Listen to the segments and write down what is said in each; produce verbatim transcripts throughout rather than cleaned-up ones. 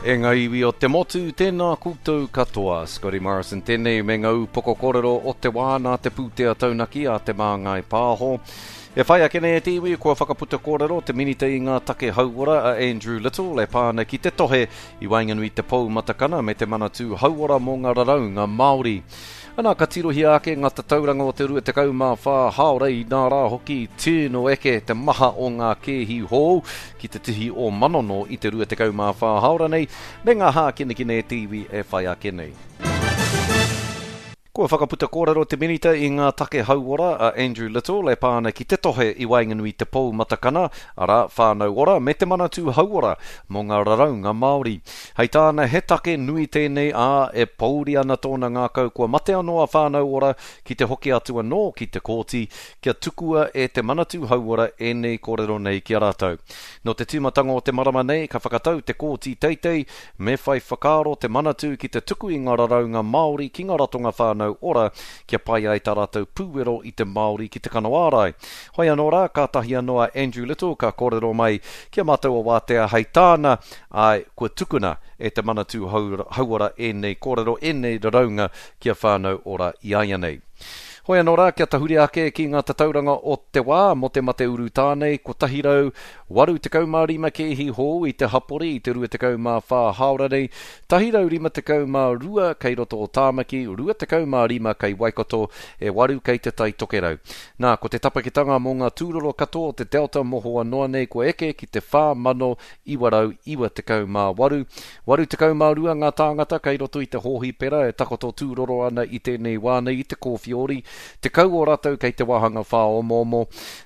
E ngā iwi o te motu, tēnā koutou katoa. Scotty Morrison tēnei me ngā upoko kōrero o te wā nā te pūtea taunaki a Te Māngai Pāho. E whai ake nei e te iwi, kua whakaputa kōrero te minita i ngā take hauora a Andrew Little e pā ana ki te tohe i waenganui te Pou Matakana me te Manatū Hauora mō ngā raraunga Māori. Ana, ka tirohia ake ngā tatauranga o te rua tekau mā whā hāora i nā rā hoki tino eke te maha o ngā kēhi hou ki te tihi o Manono i te rua tekau mā whā hāora nei me ngā hākinakina e te iwi e whai ake nei. Kua whakaputa kōrero te minita i ngā take hauora a Andrew Little e pā ana ki te tohe i waenganui te Pou Matakana, arā, Whānau Ora me te Manatū Hauora mō ngā raraunga Māori. Hei tāna, he take nui tēnei, ā, e pōuri ana tōna ngākau kua mate anō a Whānau Ora ki te hoki atu anō ki te kōti kia tukua e te Manatū Hauora ēnei kōrero nei ki a rātou. Nō te tīmatanga o te marama nei ka whakatau te kōti teitei me whai whakaaro te Manatū ki te tuku i ngā raraunga Māori ki ngā ratonga whānau ora kia pai ai tā rātou pūwero i te Māori ki te kano ārai. Hoi anō rā, kātahi anō a Andrew Little ka kōrero mai ki a mātou o Wātea hei tāna, āe, kua tukuna e te Manatū Hauora ēnei kōrero, ēnei raraunga kia whānau ora i a ia nei. Hoi anō rā, kia tahuri ake ki ngā tatauranga o te wā mō te mate urutā nei, kotahi rau waru tekau mā rima kēhi hou i te hapori i te rua tekau mā whā hāora nei, tahi rau rima tekau mā rua kei roto o Tāmaki, rua tekau mā rima kei Waikato, e waru kei te Tai Tokerau. Nā, ko te tapakitanga mō ngā tūroro katoa o te Delta mohoa noa nei kua eke ki te whā mano iwa rau iwa tekau mā waru. Waru tekau mā rua ngā tāngata kei roto i te hōhipera e takoto tūroro ana i tēnei wā nei i te kōwhiori, tekau o rātou kei te wāhanga whāomoomo.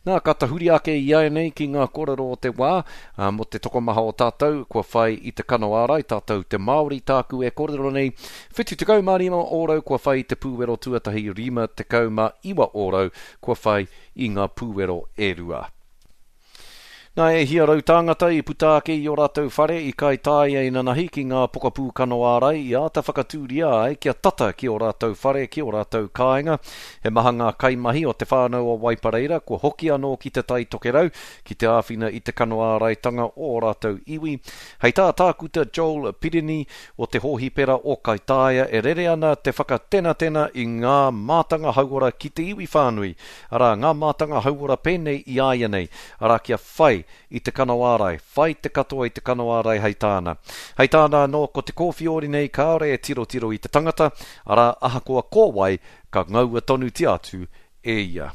Nā, ka tahuri ake i ai nei ki ngā kōrero o te wā, ā, mō te tokomaha o tātou, kua whai i te kano ārai, tātou te Māori tāku e kōrero nei, whitu tekau mā rima ōrau kua whai i te pūwero tuatahi, rima tekau mā iwa ōrau kua whai i ngā pūwero e rua. Nā, e hia rau tāngata i puta ake i ō rātou whare i Kaitāia inanahi ki ngā pokapū kano ārai i āta whakatūria ai kia tata ki ō rātou whare, ki ō rātou kāinga. He maha ngā kaimahi o te whānau o Waipareira kua hoki anō ki te Tai Tokerau ki te āwhina i te kano āraitanga o ō rātou iwi. Hei tā Tākuta Joel Pirini o te hōhipera o Kaitāia e rere ana te whakatenatena i ngā mātanga hauora ki te iwi whānui, arā, ngā mātanga hauora pēnei i a ia nei, arā, kia whai i te kano ārai, whai te katoa i te kano ārai hei tāna. Hei tāna anō, ko te kōwhiori nei kāore e tirotiro i te tangata, arā, ahakoa ko wai, ka ngaua tonutia atu e ia.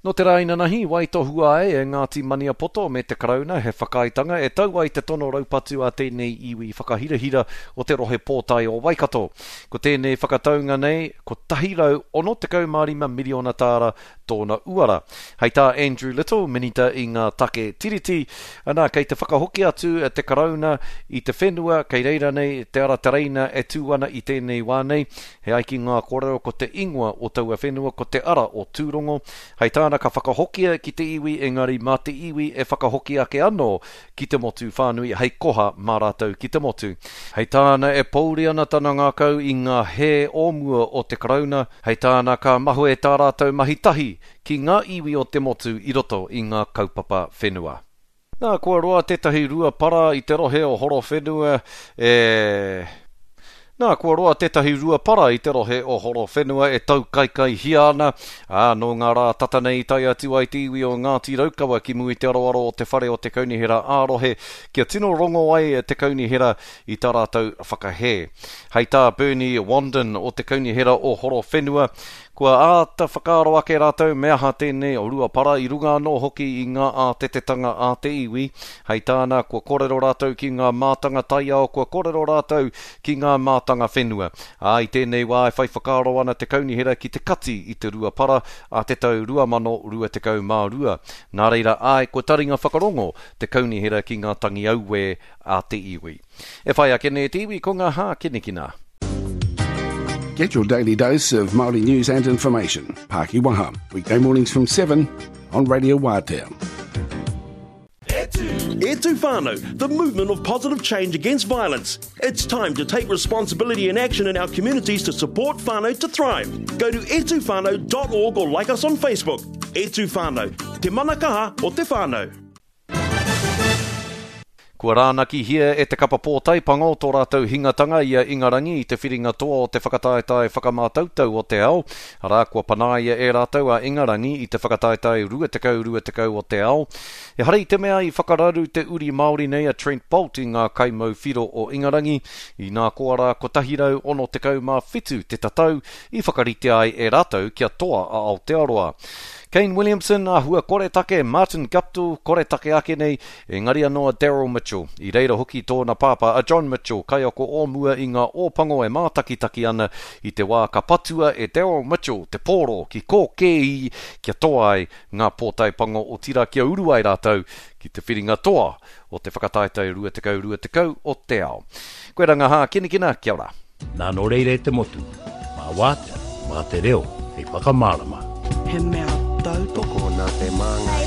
Nō te rā inanahi, waitohua ai e Ngāti Maniapoto me te Karauna he whakaaetanga e tau ai te tono raupatu a tēnei iwi whakahirahira o te rohe pōtae o Waikato. Ko tēnei whakataunga nei, kotahi rau ono tekau mā rima miriona tāra tōna uara. Hei tā Andrew Little, minita i ngā take tiriti, ana, kei te whakahoki atu te Karauna i te whenua, kei reira nei te ara tereina e tū ana i tēnei wā nei. He ai ki ngā kōrero ko te ingoa o taua whenua, ko te ara o Tūrongo. Hei tāna ka whakahokia ki te iwi, engari mā te iwi e whakahoki ake anō ki te motu whānui hei koha mā rātou ki te motu. Hei tāna e pōuri ana tana ngākau i ngā hē o mua o te Karauna, hei tāna ka mahue tā rātou mahi tahi ki ngā iwi o te motu i roto i ngā kaupapa whenua. Nā, kua roa tētahi rua para i te rohe o Horowhenua e... Nā, kua roa tētahi rua para i te rohe o Horowhenua e taukaikaihia ana, ā, nō ngā rā tata nei i tae atu ai te iwi o Ngāti Raukawa ki mua i te aroaro o te whare o te kaunihera ā-rohe kia tino rongo ai te kaunihera i tā rātou whakahē. Hei tā Bernie Wanden o te kaunihera o Horowhenua, kua āta whakaaro ake rātou me aha tēnei o rua para i runga anō hoki i ngā ātetetanga a te iwi. Hei tāna, kua kōrero rātou ki ngā mātanga taiao, kua kōrero rātou ki ngā mātanga whenua. Ā, i tēnei wā e whai whakaaro ana te kaunihera ki te kati i te rua para a te tau rua mano rua tekau mā rua. Nā reira, āe, kua taringa whakarongo te kaunihera ki ngā tangi auē a te iwi. E whai ake nei te iwi ko ngā hākinakina. Get your daily dose of Māori news and information. Pākiwaha, weekday mornings from seven on Radio Wātea. E Tū Whānau, the movement of positive change against violence. It's time to take responsibility and action in our communities to support whānau to thrive. Go to e tū whānau dot org or like us on Facebook. E Tū Whānau, te mana kaha o te whānau. Kua rānakihia e te kapa pōtae pango tō rātou hingatanga i a Ingarangi i te whiringa toa o te whakataetae whakamātautau o te ao. Arā, kua panaia e rātou a Ingarangi i te whakataetae rua tekau rua tekau o te ao. Ehara i te mea i whakararu te uri Māori nei a Trent Boult i ngā kaimau whiro o Ingarangi, inā koa rā kotahi rau ono tekau mā whitu te tatau i whakaritea ai e rātou kia toa a Aotearoa. Kane Williamson, āhua koretake, Martin Guptill, koretake ake nei, engari anō a Daryl Mitchell. I reira hoki tōna pāpā a John Mitchell, kaiako o mua i ngā ōpango e mātakitaki ana i te wā ka patua e Daryl Mitchell te pōro ki kōkēi kia toa ai ngā pōtae pango otirā kia uru ai rātou ki te whiringa toa o te whakataetae rua tekau rua tekau o te ao. Koe rā ngā hākinakina, kia ora. Nā nō reira e te motu, mā wātea, mā te reo, hei whakamārama. He mea tautoko nā te Māngai.